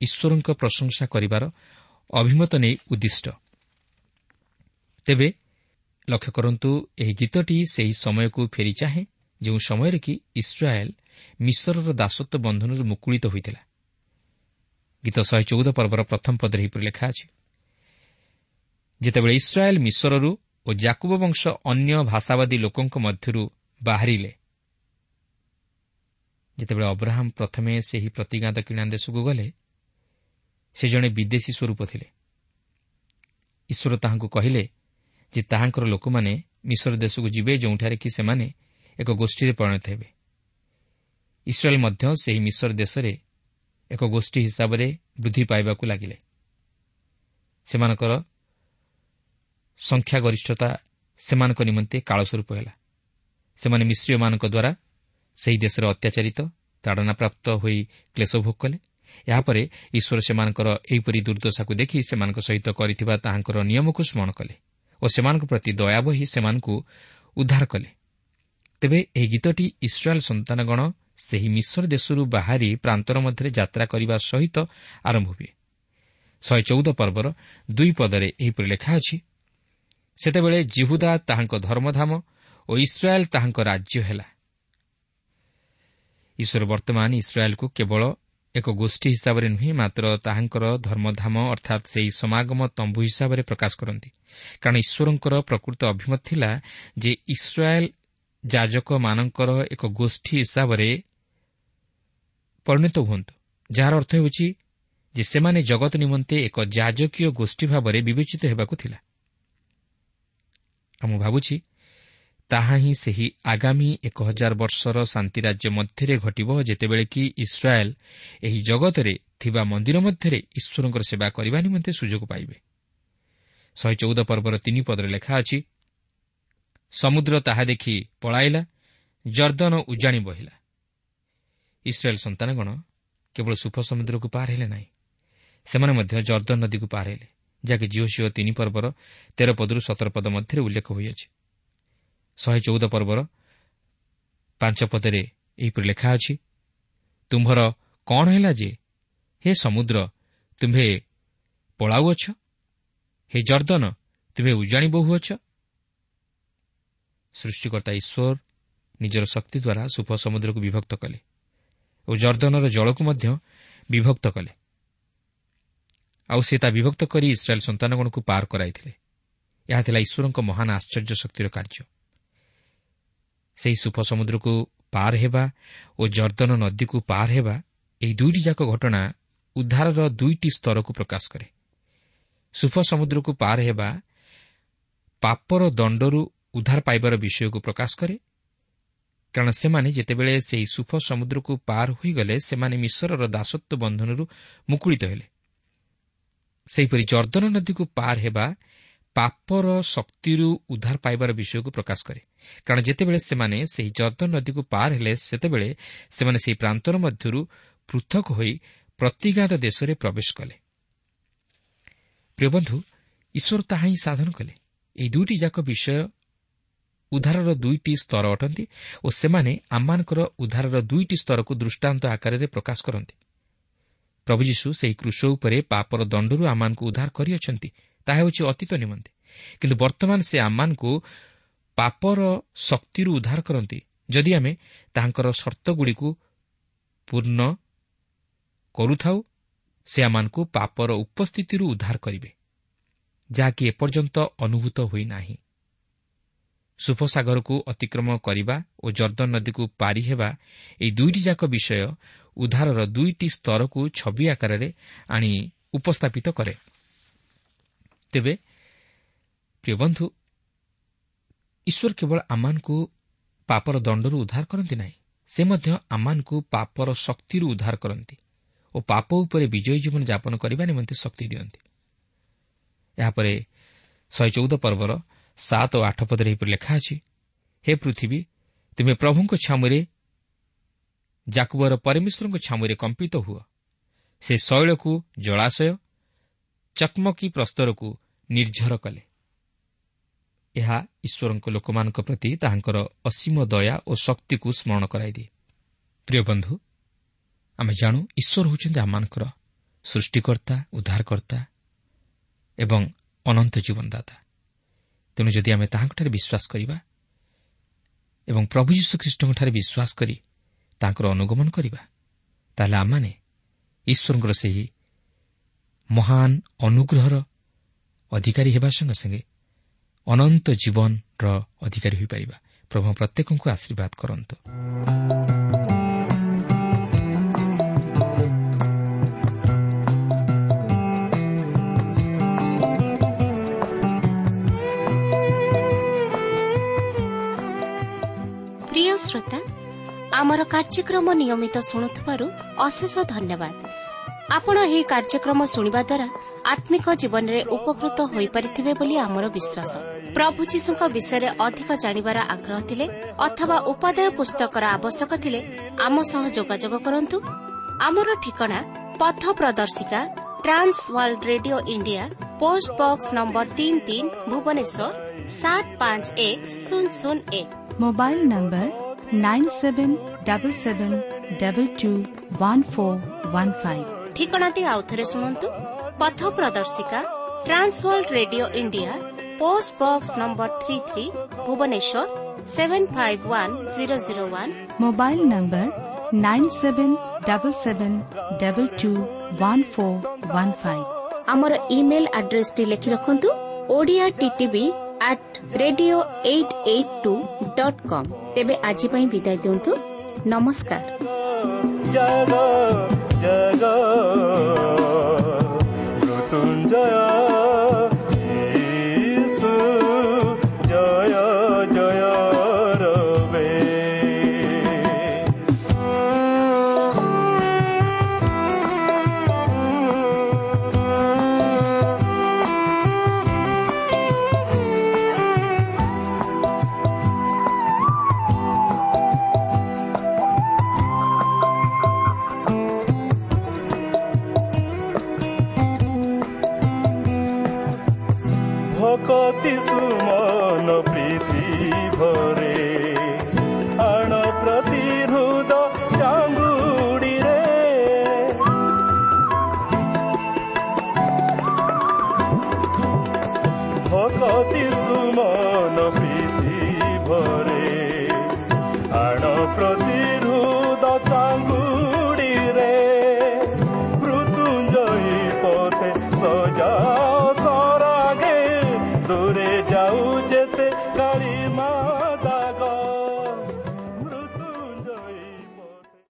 ଈଶ୍ୱରଙ୍କ ପ୍ରଶଂସା କରିବାର ଅଭିମତ ନେଇ ଉଦ୍ଦିଷ୍ଟ। ତେବେ ଲକ୍ଷ୍ୟ କରନ୍ତୁ, ଏହି ଗୀତଟି ସେହି ସମୟକୁ ଫେରି ଚାହେଁ ଯେଉଁ ସମୟରେ କି ଇସ୍ରାଏଲ୍ ମିଶରର ଦାସତ୍ୱ ବନ୍ଧନରୁ ମୁକୁଳିତ ହୋଇଥିଲା। ଗୀତ ଶହେ ଚଉଦ ପର୍ବର ପ୍ରଥମ ପଦରେ ଏହିପରି ଲେଖା ଅଛି, ଯେତେବେଳେ ଇସ୍ରାଏଲ୍ ମିଶରରୁ ଓ ଜାକୁବ ବଂଶ ଅନ୍ୟ ଭାଷାବାଦୀ ଲୋକଙ୍କ ମଧ୍ୟରୁ ବାହାରିଲେ। ଯେତେବେଳେ ଅବ୍ରାହମ ପ୍ରଥମେ ସେହି ପ୍ରତିଜ୍ଞାତ କିଣା ଦେଶକୁ ଗଲେ, ସେ ଜଣେ ବିଦେଶୀ ସ୍ୱରୂପ ଥିଲେ। ଈଶ୍ୱର ତାହାଙ୍କୁ କହିଲେ ଯେ ତାହାଙ୍କର ଲୋକମାନେ ମିଶର ଦେଶକୁ ଯିବେ, ଯେଉଁଠାରେ କି ସେମାନେ ଏକ ଗୋଷ୍ଠୀରେ ପରିଣତ ହେବେ। ଇସ୍ରାଏଲ୍ ମଧ୍ୟ ସେହି ମିଶର ଦେଶରେ ଏକ ଗୋଷ୍ଠୀ ହିସାବରେ ବୃଦ୍ଧି ପାଇବାକୁ ଲାଗିଲେ। ସେମାନଙ୍କର ସଂଖ୍ୟାଗରିଷ୍ଠତା ସେମାନଙ୍କ ନିମନ୍ତେ କାଳସ୍ୱରୂପ ହେଲା। ସେମାନେ ମିଶ୍ରୀୟମାନଙ୍କ ଦ୍ୱାରା ସେହି ଦେଶରେ ଅତ୍ୟାଚାରିତ, ତାଡ଼ନାପ୍ରାପ୍ତ ହୋଇ କ୍ଲେଶ ଭୋଗ କଲେ। ଏହାପରେ ଈଶ୍ୱର ସେମାନଙ୍କର ଏହିପରି ଦୁର୍ଦ୍ଦଶାକୁ ଦେଖି ସେମାନଙ୍କ ସହିତ କରିଥିବା ତାହାଙ୍କର ନିୟମକୁ ସ୍ମରଣ କଲେ ଓ ସେମାନଙ୍କ ପ୍ରତି ଦୟା ବହି ସେମାନଙ୍କୁ ଉଦ୍ଧାର କଲେ। ତେବେ ଏହି ଗୀତଟି ଇସ୍ରାଏଲ୍ ସନ୍ତାନଗଣ ସେହି ମିଶର ଦେଶରୁ ବାହାରି ପ୍ରାନ୍ତର ମଧ୍ୟରେ ଯାତ୍ରା କରିବା ସହିତ ଆରମ୍ଭ ହୁଏ। ଶହେ ଚଉଦ ପର୍ବର ଦୁଇ ପଦରେ ଏହିପରି ଲେଖା ଅଛି, ସେତେବେଳେ ଜିହୁଦା ତାହାଙ୍କ ଧର୍ମଧାମ ଓ ଇସ୍ରାଏଲ୍ ତାହାଙ୍କ ରାଜ୍ୟ ହେଲା। ଈଶ୍ୱର ବର୍ତ୍ତମାନ ଇସ୍ରାଏଲ୍କୁ କେବଳ ଏକ ଗୋଷ୍ଠୀ ହିସାବରେ ନୁହେଁ, ମାତ୍ର ତାହାଙ୍କର ଧର୍ମଧାମ ଅର୍ଥାତ୍ ସେହି ସମାଗମ ତମ୍ବୁ ହିସାବରେ ପ୍ରକାଶ କରନ୍ତି। କାରଣ ଈଶ୍ୱରଙ୍କର ପ୍ରକୃତ ଅଭିମତ ଥିଲା ଯେ ଇସ୍ରାଏଲ୍ ଯାଜକମାନଙ୍କର ଏକ ଗୋଷ୍ଠୀ ହିସାବରେ ପରିଣତ ହୁଅନ୍ତୁ, ଯାହାର ଅର୍ଥ ହେଉଛି ଯେ ସେମାନେ ଜଗତ ନିମନ୍ତେ ଏକ ଯାଜକୀୟ ଗୋଷ୍ଠୀ ଭାବରେ ବିବେଚିତ ହେବାକୁ ଥିଲା। ଆଉ ମୁଁ ଭାବୁଛି ତାହା ହିଁ ସେହି ଆଗାମୀ ଏକ ହଜାର ବର୍ଷର ଶାନ୍ତିରାଜ୍ୟ ମଧ୍ୟରେ ଘଟିବ, ଯେତେବେଳେ କି ଇସ୍ରାଏଲ୍ ଏହି ଜଗତରେ ଥିବା ମନ୍ଦିର ମଧ୍ୟରେ ଈଶ୍ୱରଙ୍କର ସେବା କରିବା ନିମନ୍ତେ ସୁଯୋଗ ପାଇବେ। ଶହେ ଚଉଦ ପର୍ବର ତିନି ପଦରେ ଲେଖା ଅଛି, ସମୁଦ୍ର ତାହା ଦେଖି ପଳାଇଲା, ଜର୍ଦ୍ଦନ ଉଜାଣି ବହିଲା। ଇସ୍ରାଏଲ୍ ସନ୍ତାନଗଣ କେବଳ ସୁଫ ସମୁଦ୍ରକୁ ପାର ହେଲେ ନାହିଁ, ସେମାନେ ମଧ୍ୟ ଜର୍ଦ୍ଦନ ନଦୀକୁ ପାର ହେଲେ, ଯାହାକି ଯିହୋଶୂୟ ତିନି ପର୍ବର ତେର ପଦରୁ ସତର ପଦ ମଧ୍ୟରେ ଉଲ୍ଲେଖ ହୋଇଅଛି। ଶହେ ଚଉଦ ପର୍ବର ପାଞ୍ଚ ପଦରେ ଏହିପରି ଲେଖା ଅଛି, ତୁମ୍ଭର କ'ଣ ହେଲା ଯେ ହେ ସମୁଦ୍ର ତୁମ୍ଭେ ପଳାଉଅଛ, ହେ ଜର୍ଦ୍ଦନ ତୁମ୍ଭେ ଉଜାଣି ବହୁଅଛ? ସୃଷ୍ଟିକର୍ତ୍ତା ଈଶ୍ୱର ନିଜର ଶକ୍ତି ଦ୍ୱାରା ସୁଫ ସମୁଦ୍ରକୁ ବିଭକ୍ତ କଲେ ଓ ଜର୍ଦ୍ଦନର ଜଳକୁ ମଧ୍ୟ ବିଭକ୍ତ କଲେ। ଆଉ ସେ ତା ବିଭକ୍ତ କରି ଇସ୍ରାଏଲ୍ ସନ୍ତାନଗଣକୁ ପାର କରାଇଥିଲେ। ଏହା ଥିଲା ଈଶ୍ୱରଙ୍କ ମହାନ ଆଶ୍ଚର୍ଯ୍ୟ ଶକ୍ତିର କାର୍ଯ୍ୟ। ସେହି ସୁଫ ସମୁଦ୍ରକୁ ପାର ହେବା ଓ ଜର୍ଦ୍ଦନ ନଦୀକୁ ପାର ହେବା, ଏହି ଦୁଇଟି ଯାକ ଘଟଣା ଉଦ୍ଧାରର ଦୁଇଟି ସ୍ତରକୁ ପ୍ରକାଶ କରେ। ସୁଫ ସମୁଦ୍ରକୁ ପାର ହେବା ପାପର ଦଣ୍ଡରୁ ଉଦ୍ଧାର ପାଇବାର ବିଷୟକୁ ପ୍ରକାଶ କରେ, କାରଣ ସେମାନେ ଯେତେବେଳେ ସେହି ସୁଫ ସମୁଦ୍ରକୁ ପାର ହୋଇଗଲେ, ସେମାନେ ମିଶରର ଦାସତ୍ୱ ବନ୍ଧନରୁ ମୁକୁଳିତ ହେଲେ। ସେହିପରି ଜର୍ଦ୍ଦନ ନଦୀକୁ ପାର ହେବା ପାପର ଶକ୍ତିରୁ ଉଦ୍ଧାର ପାଇବାର ବିଷୟକୁ ପ୍ରକାଶ କରେ। କାରଣ ଯେତେବେଳେ ସେମାନେ ସେହି ଯର୍ଦ୍ଦନ ନଦୀକୁ ପାର ହେଲେ, ସେତେବେଳେ ସେମାନେ ସେହି ପ୍ରାନ୍ତର ମଧ୍ୟରୁ ପୃଥକ ହୋଇ ପ୍ରତିଜ୍ଞାତ ଦେଶରେ ପ୍ରବେଶ କଲେ। ପ୍ରିୟ ବନ୍ଧୁ, ଈଶ୍ୱର ତାହା ହିଁ ସାଧନ କଲେ। ଏହି ଦୁଇଟି ଯାକ ବିଷୟ ଉଦ୍ଧାରର ଦୁଇଟି ସ୍ତର ଅଟନ୍ତି ଓ ସେମାନେ ଆମମାନଙ୍କର ଉଦ୍ଧାରର ଦୁଇଟି ସ୍ତରକୁ ଦୃଷ୍ଟାନ୍ତ ଆକାରରେ ପ୍ରକାଶ କରନ୍ତି। ପ୍ରଭୁ ଯୀଶୁ ସେହି କ୍ରୁଶ ଉପରେ ପାପର ଦଣ୍ଡରୁ ଆମମାନଙ୍କୁ ଉଦ୍ଧାର କରିଅଛନ୍ତି, ତାହା ହେଉଛି ଅତୀତ ନିମନ୍ତେ। କିନ୍ତୁ ବର୍ତ୍ତମାନ ସେ ଆମମାନଙ୍କୁ ପାପର ଶକ୍ତିରୁ ଉଦ୍ଧାର କରନ୍ତି, ଯଦି ଆମେ ତାହାଙ୍କର ସର୍ତ୍ତଗୁଡ଼ିକୁ ପୂର୍ଣ୍ଣ କରୁଥାଉ। ସେ ଆମମାନଙ୍କୁ ପାପର ଉପସ୍ଥିତିରୁ ଉଦ୍ଧାର କରିବେ, ଯାହାକି ଏପର୍ଯ୍ୟନ୍ତ ଅନୁଭୂତ ହୋଇନାହିଁ। ସୁଫସାଗରକୁ ଅତିକ୍ରମ କରିବା ଓ ଯର୍ଦ୍ଦନ ନଦୀକୁ ପାରି ହେବା, ଏହି ଦୁଇଟି ଯାକ ବିଷୟ ଉଦ୍ଧାରର ଦୁଇଟି ସ୍ତରକୁ ଛବି ଆକାରରେ ଆଣି ଉପସ୍ଥାପିତ କରେ। ତେବେ ପ୍ରିୟ ବନ୍ଧୁ, ଈଶ୍ୱର କେବଳ ଆମମାନଙ୍କୁ ପାପର ଦଣ୍ଡରୁ ଉଦ୍ଧାର କରନ୍ତି ନାହିଁ, ସେ ମଧ୍ୟ ଆମମାନଙ୍କୁ ପାପର ଶକ୍ତିରୁ ଉଦ୍ଧାର କରନ୍ତି ଓ ପାପ ଉପରେ ବିଜୟୀ ଜୀବନ ଯାପନ କରିବା ନିମନ୍ତେ ଶକ୍ତି ଦିଅନ୍ତି। ଏହାପରେ ଶହେ ଚଉଦ ପର୍ବର ସାତ ଓ ଆଠ ପଦରେ ଏହିପରି ଲେଖା ଅଛି, ହେ ପୃଥିବୀ, ତୁମେ ପ୍ରଭୁଙ୍କ ଛାମୁରେ, ଯାକୁବର ପରମେଶ୍ୱରଙ୍କ ଛାମୁରେ କମ୍ପିତ ହୁଅ। ସେ ଶୈଳକୁ ଜଳାଶୟ, ଚକମକି ପ୍ରସ୍ତରକୁ ନିର୍ଝର କଲେ। ଏହା ଈଶ୍ୱରଙ୍କ ଲୋକମାନଙ୍କ ପ୍ରତି ତାହାଙ୍କର ଅସୀମ ଦୟା ଓ ଶକ୍ତିକୁ ସ୍ମରଣ କରାଇଦିଏ। ପ୍ରିୟ ବନ୍ଧୁ, ଆମେ ଜାଣୁ ଈଶ୍ୱର ହେଉଛନ୍ତି ଆମମାନଙ୍କର ସୃଷ୍ଟିକର୍ତ୍ତା, ଉଦ୍ଧାରକର୍ତ୍ତା ଏବଂ ଅନନ୍ତ ଜୀବନଦାତା। ତେଣୁ ଯଦି ଆମେ ତାହାଙ୍କଠାରେ ବିଶ୍ୱାସ କରିବା ଏବଂ ପ୍ରଭୁ ଯୀଶୁଖ୍ରୀଷ୍ଟଙ୍କଠାରେ ବିଶ୍ୱାସ କରି ତାଙ୍କର ଅନୁଗମନ କରିବା, ତାହେଲେ ଆମମାନେ ଈଶ୍ୱରଙ୍କର ସେହି ମହାନ ଅନୁଗ୍ରହର ଅଧିକାରୀ ହେବା ସଙ୍ଗେ ସଙ୍ଗେ ଅନନ୍ତ ଜୀବନର ଅଧିକାରୀ ହୋଇପାରିବା। ପ୍ରଭୁ ପ୍ରତ୍ୟେକଙ୍କୁ ଆଶୀର୍ବାଦ କରନ୍ତୁ। ପ୍ରିୟ ଶ୍ରୋତା, ଆମର କାର୍ଯ୍ୟକ୍ରମ ନିୟମିତ ଶୁଣୁଥିବାରୁ ଅଶେଷ ଧନ୍ୟବାଦ। ଆପଣ ଏହି କାର୍ଯ୍ୟକ୍ରମ ଶୁଣିବା ଦ୍ୱାରା ଆତ୍ମିକ ଜୀବନରେ ଉପକୃତ ହୋଇପାରିଥିବେ ବୋଲି ଆମର ବିଶ୍ୱାସ। ପ୍ରଭୁ ଯୀଶୁଙ୍କ ବିଷୟରେ ଅଧିକ ଜାଣିବାର ଆଗ୍ରହ ଥିଲେ ଅଥବା ଉପାଦେୟ ପୁସ୍ତକର ଆବଶ୍ୟକ ଥିଲେ ଆମ ସହ ଯୋଗାଯୋଗ କରନ୍ତୁ। ଆମର ଠିକଣା ପଥ ପ୍ରଦର୍ଶିକା, Trans World Radio India, post box number ତିନି ତିନି, ଭୁବନେଶ୍ୱର ସାତ ପାଞ୍ଚ ଏକ ଶୂନ ଶୂନ ଏକ। Mobile number nine seven double seven double two one four one five. ଠିକଣାଟି ଆଉଥରେ ଶୁଣନ୍ତୁ। ପଥ ପ୍ରଦର୍ଶିକା, Trans World Radio India, post box number three three, Bhubaneswar seven five one zero zero one. Mobile number nine seven double seven double two one four one five. ଆମର email ଆଡ୍ରେସଟି ଲେଖି ରଖନ୍ତୁ, Odia TTV at radio eight eight two dot com. ତେବେ ଆଜି ପାଇଁ ବିଦାୟ ଦିଅନ୍ତୁ। ନମସ୍କାର। ଜାଗ ଜାଗ ମୃତ୍ୟୁଞ୍ଜୟ ଯୀଶୁ ଜୟ ଜୟ ରବେ। ଭକତି ସୁମନ ପ୍ରୀତି ଭରେ ଆଣ ପ୍ରତି ହୃଦ ଚାଙ୍ଗୁଡ଼ିରେ, ଭକତି ସୁମନ ପ୍ରୀତି ଭରେ ଆଣ ପ୍ରତି ହୃଦ ଚାଙ୍ଗୁଡ଼ିରେ, ମୃତ୍ୟୁଞ୍ଜୟୀ ପଥେ ସଜା ଦୂରେ ଯାଉ ଯେତେ କାଳି।